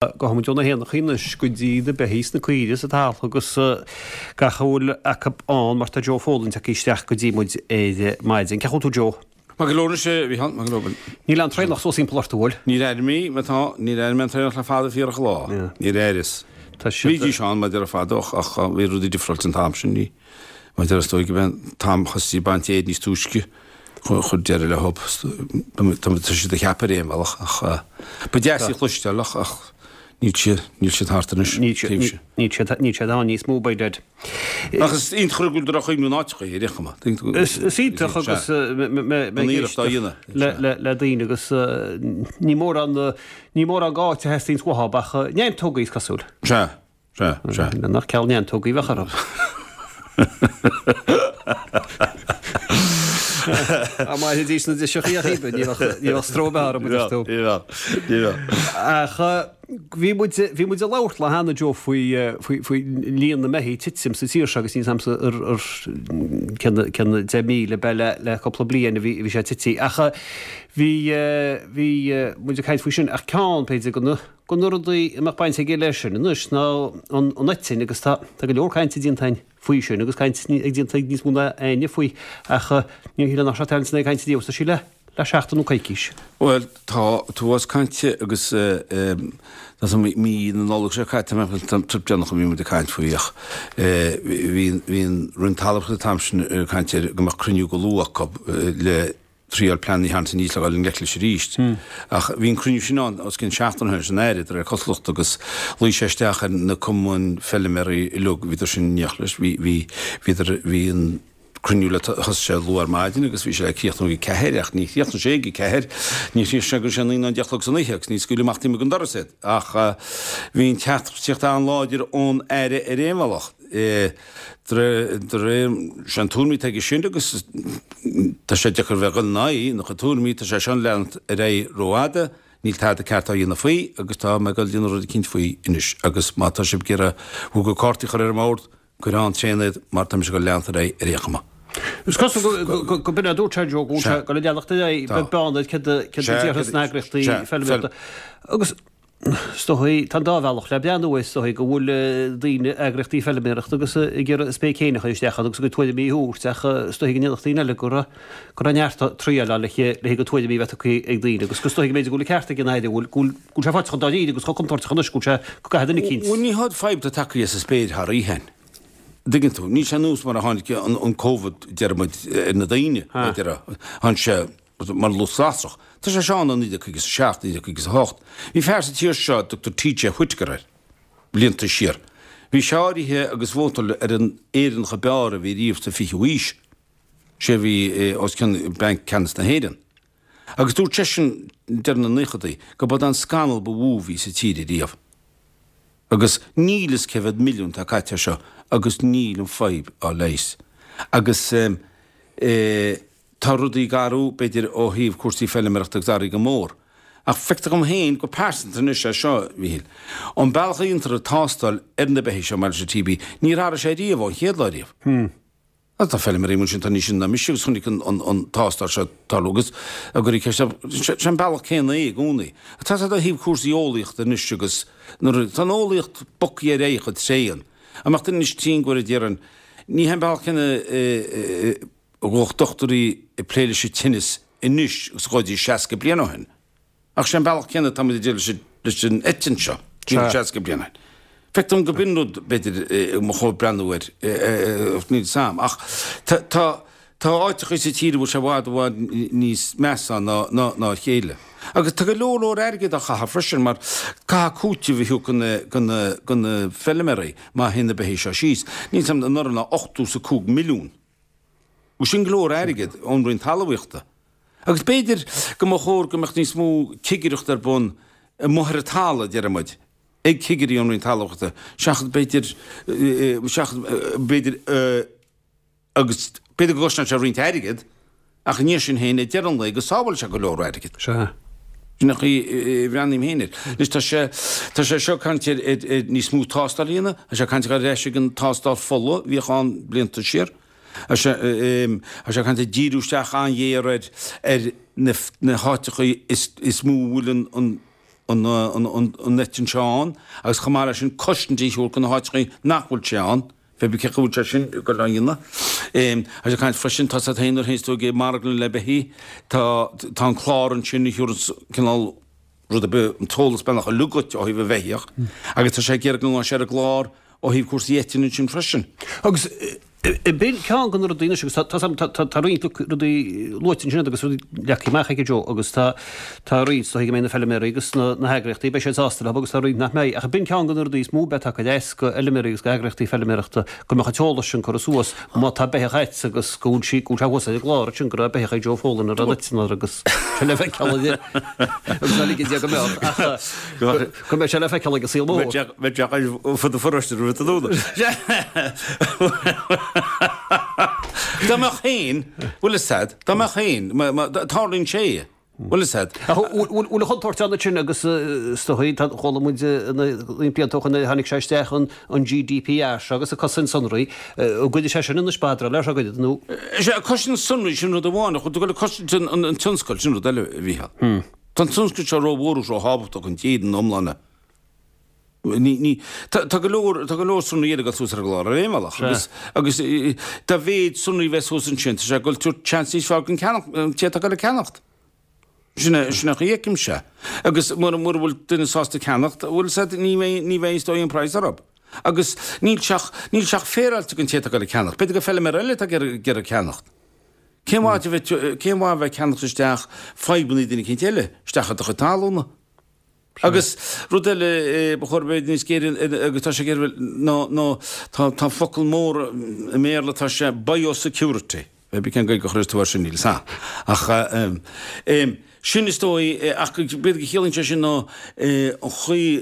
Gabhfaidh muid ó na héanachaí anois go dtí na beithígh is na caoirigh sa talamh agus gach a bhfuil acu ann mar tá Joe Folan tagtha isteach go dtí muid ar maidin. Cén chaoi a bhfuil tú Joe? Maith go leor anois a Mhícheáil, maith go leor. Níl aon traonach suas thimpeall ort, an bhfuil? Níor airigh mé, má tá, níor airigh mé an traonach le fada fíorach lá. Níor airíos. Tá siad. Bhídís ann mar a déarfá fadó ach bhí rudaí difriúil an t-am sin. Ní, mar a déarfá is dóigh go b'é an t-am a thosaigh baint fhéir níos túisce. Chuir deireadh le hob. Tá siad ag ceapadh ar aon bhealach ach ba deas í a chloisteáil ach ach níl siad níl siad thart anois. Níl siad níl siad ann níos mó by dad. Ach is iontach go bhfuil droch-chuimhne in áiteacha ar aon chuma. Is iontach agus mé ag éisteacht le daoine agus ní mórán ní mórán áit a theastaíonns uathu ach neantógaí is cosúil. Sea. Sea, sea. Nach ceal neantógaí a bheadh orthu. Dá mairfidís na driseachaí ach iad, ní bheadh stró ar bith orthu, a deir tú. Ní bheadh, ní bheadh. Ach bhí muid, bhí muid ag labhairt lá cheana, Joe, faoi, faoi, faoi líon na mbeithígh ag titim sa tír seo agus níl 's a'msa ar, ar cén, cén 10,000 ab ea le, le cúpla bliain a bhí, a bhí sé tití. Ach bhí, bhí muid ag caint faoi sin ach ceann, b'fhéidir, de na, de na rudaí a mbeadh baint aige leis sin anois ná an eitinn agus tá go leor cainte déanta againn faoi sin agus caint ag déanta ag níos mó ná éinne faoi ach ní shílim nach raibh aon duine ag caint riamh sa le le seachtain nó coicís. Bhuel, tá an t-uafás cainte agus tá san mí na Nollag seo caite, tá an trip déanach a bhí muid ag caint faoi ach bhí bhí an Roinn Talmhaíochta an t-am sin ag caint ar go mbeadh cruinniú go luath acu le triail plean a tharraingt aníos le dhul i ngleic leis arís. Ach bhí an cruinniú sin ann os cionn seachtain ó shin leis an Aire, de réir cosúlachta, agus luigh sé isteach ar na cumainn feilméaraí uilig, bhíodar sin in éineacht leis, bhí, bhí, bhíodar, bhí an cruinniú le, thosaigh sé luath ar maidin agus bhí sé le críochnú ag a ceathair ach ní chríochnaigh sé ag a ceathair, ní chríochnaigh sé go raibh sé 9 nó 10 a chlog san oíche agus ní scaoileadh amach taobh amuigh den doras iad. Ach bhí an teachtaireacht an-láidir ón Aire ar aon bhealach. De réir, sé an tuairim atá aige sin agus tá sé deacair bheith ag dul ina aghaidh, ina chuid tuairimí, tá sé seo ag leanacht ar aghaidh rófhada, níl tada ceart á dhéanamh faoi agus tá mé ag dul a dhéanamh rud eicínt faoi anois agus má tá sibh ag iarraidh bhur gcuid cártaí a chur ar an mbord, cuir ann tréan iad mar tá mise ag dul leanacht ar aghaidh ar aon chuma. Is cosúil go b'in a dúirt sé Joe, go bhfuil sé ag dul ag leanacht ar aghaidh, beag beann ar céard a déarfas na heagraíochtaí feilméarachta. Agus Is dóigh, tá an dá bhealach le breathnú air, is dóigh go bhfuil daoine, eagraíochtaí feilméarachta agus ag iarraidh a spéic féin a chur isteach ann agus a gcuid tuairimí a thabhairt ach is dóigh go ndéarfadh daoine eile go raibh, go raibh neart triail ann le le go tuairimí a bheith tugtha ag daoine agus is dóigh go mb'fhéidir go bhfuil an ceart ag an Aire, go bhfuil, go bhfuil, go bhfuil sé faighte chomh dáiríre agus chomh contúirteach anois go bhfuil sé, go gcaithfidh duine eicínt. Bhuel ní haon fadhb atá tagtha as an spéir thar oíche. Dtuigeann tú, níl sé nós mar a tháinig an, an Covid, deir muid, ar na daoine, a déarfá, tháinig sé, mar lus lasrach. Tá sé seo ann ó 1957, 1958. Bhí fear sa tír seo a dtugtar TJ Whitaker air, blianta siar. Bhí sé áirithe agus vótáil ar an Éireannach ab fhearr a bhí riamh sa 20ú aois. Sé a bhí os cionn Banc Ceannais na hÉireann. Agus dúirt seisean deireadh na naochadaí go b'é an scannal ba mhó a bhí sa tír ariamh. Agus níl fhios cé mhéad milliún atá caite air seo agus níl an fadhb á leigheas. Agus eh. Tá rudaí ag athrú, b'fhéidir, ó thaobh cúrsaí feilméarachta agus athraithe go mór. Ach feictear dhom féin go pearsanta anois é seo, a Mhíchíl. An bealach a dhéantar an tástáil ar na beithígh seo maidir leis an TB, níor athraigh sé riamh ón chéad lá riamh. Tá feilméaraí amuigh ansin atá níos sine ná mise agus chonaic an tástáil seo ag tarlú agus ag iarraidh ceist a, sé an bealach céanna é i gcónaí. Tá sé ó thaobh cúrsaí eolaíochta anois agus nuair a, tá an eolaíocht bogtha ar aghaidh chomh tréan. Dá mbeadh duine anois tinn go déarfainn, ní hé an bealach céanna a ghabhadh dochtúirí ag plé leis an tinneas anois agus a ghabhaidís 60 bliain ó shin. Ach sé an bealach céanna atá muid ag déileáil leis an eitinn seo, 60 bliain ó shin. Feictear dom go b'in rud, b'fhéidir, ba chóir breathnú air, níl fhios a'm. Ach tá tá áiteachaí sa tír a bhfuil sé i bhfad i bhfad níos measa ná ná a chéile. Agus tá go leor leor airgead á chaitheamh freisin mar caithfidh cúiteamh a thabhairt do na do na feilméaraí má théann na beithígh seo síos. Níl fhios a'm anuraidh ná 85 milliún. Agus sin go leor airgid ón Roinn Talmhaíochta. Agus b'fhéidir go mba chóir go mbeadh níos mó cigireachta ar bun amuigh ar an talamh, a deir muid, ag cigirí ón Roinn Talmhaíochta, seachas b'fhéidir, seachas b'fhéidir, agus b'fhéidir go gcosnódh sé roinnt airgid, ach i ndiaidh sin féin, ag deireadh an lae, go sábhálfadh sé go leor airgid. Sea. Sin an chaoi a bhreathnaím féin air. Anois tá sé, tá sé seo ag caint ar, ar, ar níos mó tástáil a dhéanamh, tá sé ag caint ar dhul ar ais ag an tástáil fola a bhíodh ann blianta siar. Tá sé, tá sé ag caint ar díriú isteach an-ghéar ar, ar na, na háiteachaí is, is mó a bhfuil an, an. an eitinn seo ann agus chomh maith leis sin cosaint a thabhairt do na háiteachaí nach bhfuil sé ann. Pé bith cé chaoi bhfuil sé sin ag dul á dhéanamh. Tá sé ag caint freisin, tá 's agat féin nuair a théanns tú ag marglann le beithígh, tá tá an clár ansin a thabharanns cineál rud ar bith, an t-eolas beagnach uilig dhuit ó thaobh an bheithíoch agus tá sé ag iarraidh go ngabhfaidh sé ar an gclár ó thaobh cúrsaí eitinne ansin freisin. Agus B'in ceann de na rudaí anois agus tá roinnt rudaí luaite ansin agus rudaí leagtha amach aige Joe agus tá tá roinnt is dóigh go mbeidh na feilméaraí agus na heagraíochtaí beidh siad sásta leo agus tá roinnt nach mbeidh ach b'in ceann de na rudaí is mó beidh taca deas go fheilméaraí agus go heagraíochtaí feilméarachta go mbeadh an t-eolas sin curtha suas má tá beithíoch a'd agus go bhfuil sí go bhfuil sé thuas ar an gclár ansin go raibh beithíoch ag Joe Folan a raibh eitinn air agus sé le feiceáil agus ná ligfidh Dia go mbeadh ach Go mbeidh sé le feiceáil ag an saol mór. Bheadh sé ar fud an pharóiste roimh an tráthnóna. Dá mbeadh féin, bhfuil fhios a'd, dá mbeadh féin, tarlaíonn sé, bhfuil fhios a'd. Ach bhfuil an chontúirt ann ansin agus is dóigh, chuala muid roinnt blianta ó shin nuair a tháinig sé isteach an GDPR seo agus an cosaint sonraí, an gcuirfidh sé sin anois spadráil air seo, gcuirfidh nó? Sea, cosaint sonraí, sin rud amháin, ach go bhfuil cosaint an tionscail, sin rud eile, a Mhícheáil. Tá an tionscal seo rómhór agus róthábhachtach don tír ina iomláine. Ní, ní, tá, tá go leor, tá go leor sonraí eile ag dul suas ar an gclár ar aon bhealach agus, agus dá mhéid sonraí a bheas thuas ansin, tá sé ag dul tabhairt seans níos fearr don ceannach, an té atá ag dul ag ceannacht. Sin é, sin é an chaoi a fheicimse é. Agus mura, mura bhfuil duine sásta ceannacht, bhfuil fhios a'd, ní bheidh, ní bheidh is dóigh an praghas orthu. Agus níl sé ach, níl sé ach féaráilte don té atá ag dul ag ceannacht. B'fhéidir gur feilméara eile atá ag iarraidh, ag iarraidh ceannacht. Cén mhaith a bheith, cén mhaith a bheith ag ceannacht isteach fadhbanna duine eicínt eile, isteach i do chuid talúna? Agus rud eile ba chóir bheith níos géire agus tá sé ag iarraidh ná, ná, tá, tá focal mór i mBéarla, tá sé biosecurity. Pé bith cén Gaeilge a chuireas tú air sin, níl 'fhios a'm. Ach eh, sin is dóigh, ach b'fhéidir go chiallaíonn sé sin ná an chaoi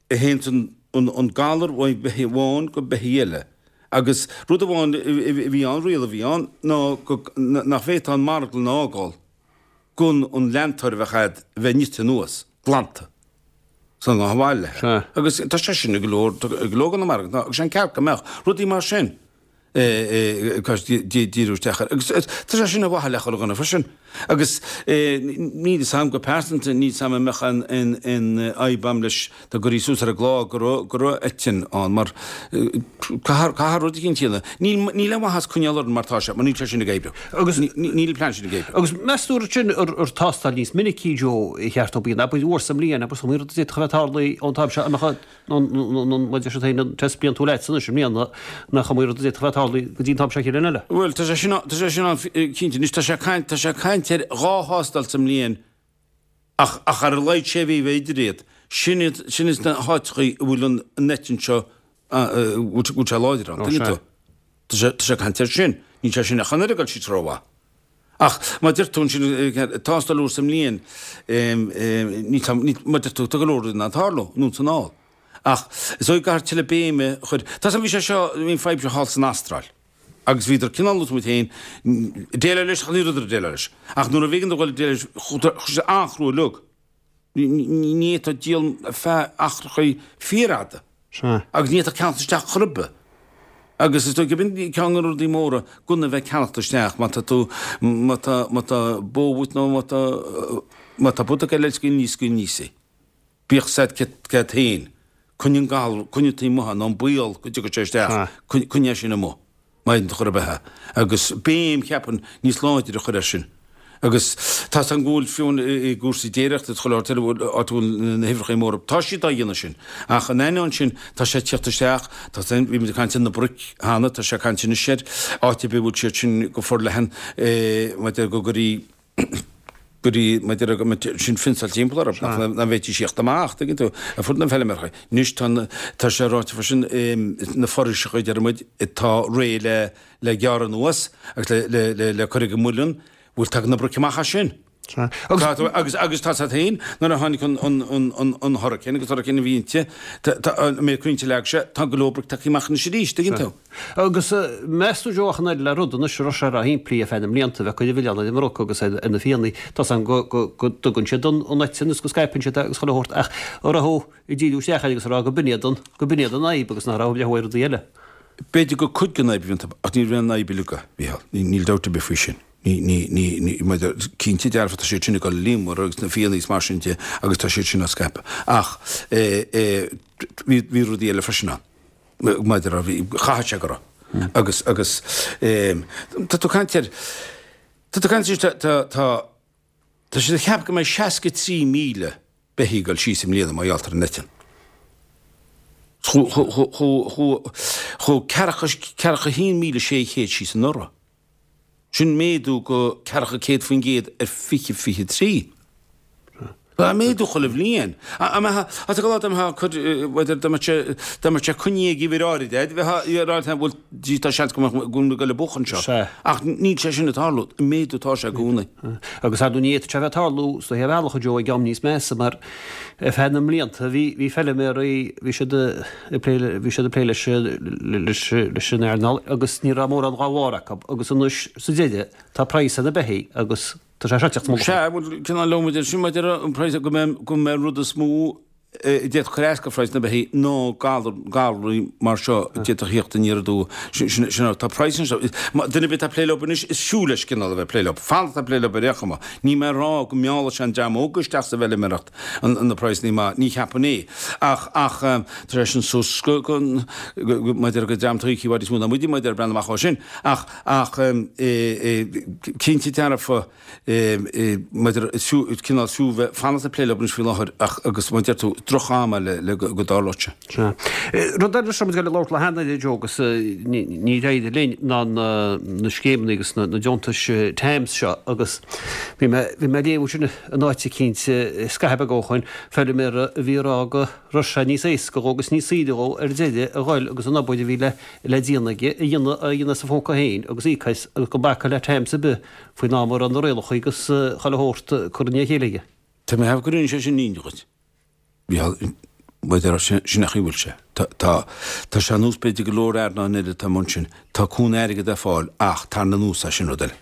a théann an galar ó bheithígh amháin go beithígh eile. Agus rud amháin a bhí ann, riail a bhí ann, ná nach bhféadfá an marglann a fhágáil gan an leantóir a bheadh a'd a bheith nite anuas, glanta, sula ngabhfá abhaile léi. Agus tá sé sin i go leor, i go leor de na marglanna, agus sé an ceart go mbeadh rudaí mar sin. díriú isteach air. Agus tá sé sin ar mhaithe le chuile dhuine freisin. Agus níl fhios a'm go pearsanta, níl fhios a'm an mbeadh aon fhadhb a'm leis dá gcuirfí suas ar an gclár go raibh go raibh eitinn ann mar caithfear rud eicínt a dhéanamh. Níl níl aon mhaitheas coinneáil orainn mar tá sé, mar níl sé sin ag oibriú. Agus níl an plean sin ag oibriú. Agus meas tú ansin ar tástáil níos minicí, Joe, a cheart ó bíonn, abair uair sa mbliain, abair is iomaí rud a d'fhéadfadh a bheith tarlaithe ón t-am seo a mbeadh nó mar a deir siad féin, an test bliantúil agat anois i mbliana, nach iomaí rud a d'fhéadfadh a bheith tarlaithe go dtí an t-am seo an chéad bhliain eile. Bhuel, tá sé sin, tá sé sin ann cinnte. Anois, tá sé ag caint, tá sé ag caint ar dhá thástáil sa mbliain ach, ach ar a laghad sé mhí a bheith idir iad. Sin iad, sin iad na háiteachaí a bhfuil an, an eitinn seo, a, bhfuil, bhfuil sé láidir ann, tuigeann tú? Tá sé, tá sé ag caint air sin. Níl sé sin ach an oiread ag dul síos rómhaith. Ach má deir tú ansin, tástáil uair sa mbliain, níl, mar deir tú, tá go leor rudaí in ann tarlú, anonn is anall. Ach is dóigh go gcaithfear tuilleadh béime a chur, tá 's agam bhí sé seo, bhí an fadhb seo thall san Astráil agus bhíodar cineál nós muid féin, ag déileáil leis ach ní rabhadar ag déileáil leis. Ach nuair a b'éigean dóibh dul ag déileáil leis, chuaigh sé an-chrua uilig. Ní fhéadfá díol ar feadh achrachaí fíorfhada. Sea. Agus ní fhéadfá ceannacht isteach chor ar bith. Agus is dóigh gurb in ceann de na rudaí móra gan a bheith ag ceannacht isteach má tá tú, má tá, má tá bó uait nó má tá, má tá bó ag eile scaoil níos, scaoil níos í. Bíodh 's a'd céard féin. Coinnigh an galar, coinnigh taobh amuigh é nó an baol go dtiocfaidh sé isteach, coinnigh é sin amuigh. Má fhéadann tú chor ar bith é. Agus béim, cheapfainn, níos láidre a chur air sin. Agus tá 's agam go bhfuil, fiú i gcúrsaí déiríochta is chuile áit eile, áit a bhfuil na huimhreacha móra, tá siad á dhéanamh sin. Ach in ainneoin sin, tá sé ag tíocht isteach, tá 's agam, bhí muid ag caint ar na broic cheana, tá sé ag caint anois ar áit ar bith a bhfuil siad sin go forleathan, maidir go gcuirí, gcuirí, maidir go mbeadh sin fionsáilte timpeall orthu, nach nach bhféadfaidís tíocht amach, tuigeann tú, ar fud na bhfeilméaracha. Anois tá na, tá sé ráite freisin, na foraoiseacha, a deir muid, atá réidh le, le gearradh anuas agus le, le, le, le cur ag an muileann, bhuel tagann na broic amach as sin. Sea. Agus. Tá tú, agus, agus tá 's a'd féin, nuair a tháinig an, an, an, an, an hurricane agus hurricane a bhí inti, tá, tá, an méid crainnte a leag sé, tá go leor broic tagtha amach anois arís, tuigeann tú. Agus meas tú Joe ach an oiread le rud anois a raibh sé ró-shimplí ar feadh na mblianta, bheith ag cur an mhilleáin ar an mbroc agus ar na fianna, tá 's agam go dtugann siad an eitinn agus go scaipeann siad é agus chuile shórt ach an raibh tú ag díriú isteach air agus ag rá go b'in iad an, go b'in iad an fhadhb agus nach raibh le rudaí eile. B'fhéidir gur cuid den fhadhb a bhí iontu ach ní raibh an fhadhb uilig, a Mhícheál, níl dabht ar bith faoi sin. Ní, ní, ní, ní, maidir, cinnte dearfa tá siad sin ag dul i líonmhaire agus na fianna is mar sin de agus tá siad sin á scaipeadh. Ach eh, eh, bhí, bhí rudaí eile freisin ann. Maidir a bhí, chaithfeadh sé go raibh. Agus, agus eh, tá tú ag caint ar, tá tú ag caint anois, tá, tá, tá, tá siad ag ceapadh go mbeidh 63,000 beithígh ag dul síos i mbliana mar gheall ar an eitinn. Chuaigh 41,600 síos anuraidh. Sin méadú go 400% ar 2023. Tá méadú chuile bhliain. Tá go lá dá mbeadh sé coinnithe ag uimhir áirid, bheifeá ag rá bhuel tá seans go mbeadh go bhfuil buachan anseo. Ach níl sé sin ag tarlú. Méadú atá sé i gcónaí. Agus ar ndóigh ní fhéadfadh sé a bheith ag tarlú sa thaobh eallach a Joe ag am níos measa mar ar feadh na mblianta bhí bhí feilméaraí bhí siad ag plé bhí siad ag plé leis leis leis an earnáil agus ní raibh mórán dá bharr acu agus anois sa deireadh tá praghas ar na beithígh agus tá sé seo ag teacht mullach. Sea, bhuel cineál liom idir sin maidir an praghas go mbeidh go mbeidh an rud is mó a d'fhéadfadh cur as go phraghas na beithígh ná galar galraí mar seo a d'fhéadfadh theacht aniar aduaidh. Sin sin sin tá praghas anseo. Duine ar bith atá ag plé leo anois is fiú leis cineál a bheith ag plé leo. Fanacht ag plé leo ar aon chuma. Níl mé ag rá go meallfaidh sé an dream óg isteach sa bhfeilméaracht an na praghsanna maith, ní cheapaim é. Ach ach tá sé sin suas go go go maidir go dream tuigthe i bhfad níos mó ná muide maidir breathnú amach ó sin. Ach ach cinnte dearfa maidir cineál fiú bheith fanacht ag plé leo anois faoi láthair ach agus mar a deir tú droch-am é le go dtarlódh sé. Sea. Rud eile seo muid ag labhairt le hAnna a Joe agus níor éirigh linn ná na scéimeanna agus na deontais TAMS seo agus bhí mé bhí mé ag léamh sin in áit eicínt scaitheamh beag ó shoin, feilméara a bhí ag rá go raibh sé níos éasca dhó agus níos saoire dhó ar deireadh a ghoil agus an obair a bhí le le déanamh aige a dhéanamh a dhéanamh as a phóca féin agus íoc as agus gan bacadh le TAMS ar bith faoin am a raibh na rialacha agus chuile shórt curtha i ndiaidh a chéile aige. Tá mé ag ceapadh gur rinne sé sin ionadh dhuit. Bhí, b'fhéidir, sin an chaoi a bhfuil sé. Tá, tá, tá sé ar nós b'fhéidir go leor earnáil eile atá amuigh ansin. Tá cúnamh airgid ar fáil ach tarraingt anuas é sin rud eile.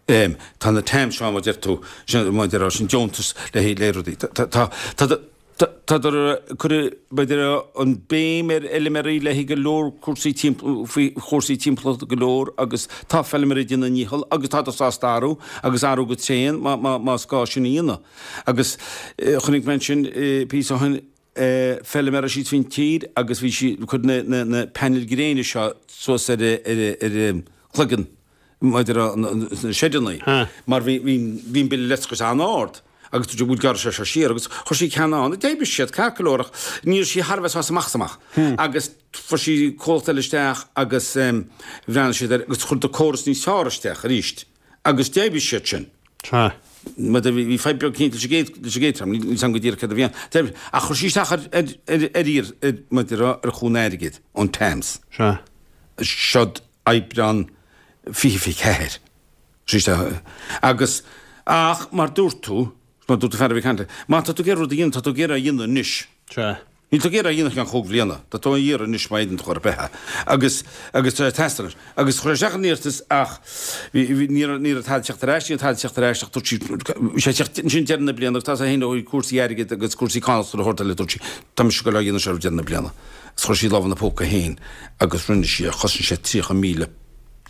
Em, tá na TAMS seo mar a deir tú, sin, mar a deir, sin deontas le haghaidh, le rudaí. Tá, tá, tá, tá, Tádar ag cur, b'fhéidir, an béim ar fheilméaraí le haghaidh go leor cúrsaí faoi chúrsaí timpeallachta go leor agus tá feilméaraí ag déanamh a ndícheall agus tádar sásta athrú agus athrú go tréan más gá sin a dhéanamh. Agus chonaic mé ansin píosa ó shin feilméara síos faoin tír agus bhí sí ag cur na painéil gréine seo suas ar a cloigeann maidir leis na seideanna mar bhí an bille leictreachais an-ard agus dúirt sí bhuel gearrfaidh sé seo siar agus chuir sí ceann ann, d'oibrigh siad ceart go leor ach ní raibh sí thar a bheith sásta amach is amach agus fuair sí comhlacht eile isteach agus bhreathnaigh siad air agus chuir córas níos fearr isteach arís agus d'oibrigh siad sin. Maidir bhí fadhb beag cinnte leis an gcéad leis an gcéad dream, níl 's agam go díreach céard a bhí ann. D'oibrigh ach chuir sí isteach ar ar ar ar iarr ar maidir ar chúnamh airgid ón TAMS. Seod Aibreán 2024. Sea, agus, ach mar dúirt tú, mar dúirt an fear a bhí ag caint leat, má tá tú ag iarraidh rud a dhéanamh, tá tú ag iarraidh é a dhéanamh anois. Sea. Níl tú ag iarraidh é a dhéanamh i gceann chúig bhliana, tá tú á iarraidh anois má fhéadann tú chor ar bith é. Agus, agus tá sé ag teastáil anois. Agus chuir sé isteach an iarratas ach bhí, bhí, ní raibh, ní raibh tada ag teacht ar ais, ní raibh tada ag teacht ar ais ach dúirt sí, bhí sé ag teacht ansin deireadh na bliana agus tá sé féin ó cúrsaí airgid agus cúrsaí cánach is chuile shórt eile, dúirt sí, tá mise ag dul á dhéanamh seo roimh deireadh na bliana. Agus chuir sí lámh ina póca féin agus rinne sí é, chosain sé €30,000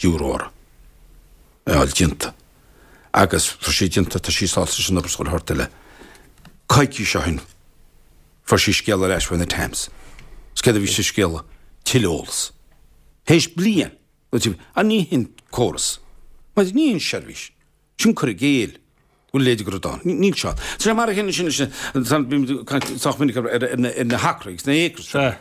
uirthi é a fháil déanta. Agus fuair sí déanta, tá sí sásta leis an obair is chuile shórt eile. Coicís ó shin, fuair sí scéala ar ais faoi na TAMS. Is céard a bhí sa scéala? Tuilleadh eolas. Théis bliain! Ach ní hin córas. Ní hin seirbhís. Sin cur i gcéill go bhfuil leithéid de rud ann. Níl sé ann. Tá sé mar a chéanna sin leis na, bímid ag caint sách minic ar na hacraí agus na acres. Sea.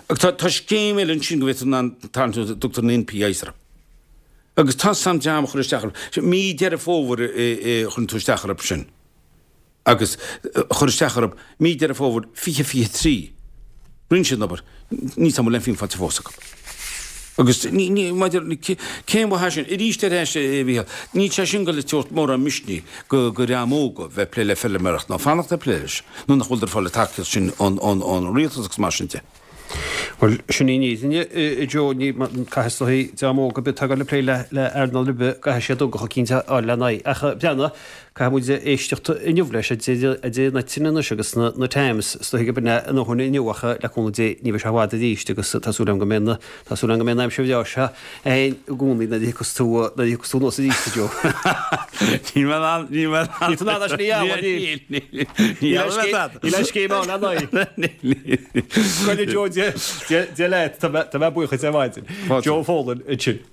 Agus tá tá scéim eile ansin go bhféadfá an tarraingt a dtugtar an NPIs orthu. Agus tá sam dream a chur isteach orthu. Mí Deireadh Fómhair a chuireann tú isteach orthu sin. agus chuir isteach orthu mí Deireadh Fómhair 2023. Rinne siad an obair. Níl 's agam an bhfuil aon phingin faighte fós acu. Agus ní, ní, maidir, cén mhaith é sin? Arís ar ais, a Mhícheáil, níl sé sin ag goil ag tabhairt mórán misnigh go, go dhream óg bheith ag plé le feilméaracht ná fanacht ag plé leis, nuair nach bhfuil ar fáil an tacaíocht sin ón, ón, ón rialtas agus mar sin de. Bhuel, sin í an fhírinne, a Joe, ní, caithfidh is dóigh, dream óg ar bith atá ag goil ag plé le, le earnáil ar bith, caithfidh siad ugach eicínt a fháil lena aghaidh. Ach breathnaigh. Caithfidh muid éisteacht inniu leis a deir na tine anois agus na Times is dóigh gurb in é a ndóthain inniu ach le cúnamh Dé ní bheidh sé i bhfad arís agus tá súil agam go mbeidh na tá súil agam go mbeidh an aimsir bhreá seo againn i gcónaí nuair a thiocfas tú nuair a thiocfas tú anuas arís a Joe. Níl mé in ann níl mé in ann Níl tú in ann é sin a ghealladh níl. Níl níl Níl aon scéim ann le n-aghaidh. Níl. Go Joe Dia leat tá mé buíoch duit ar maidin. Joe Folan ansin.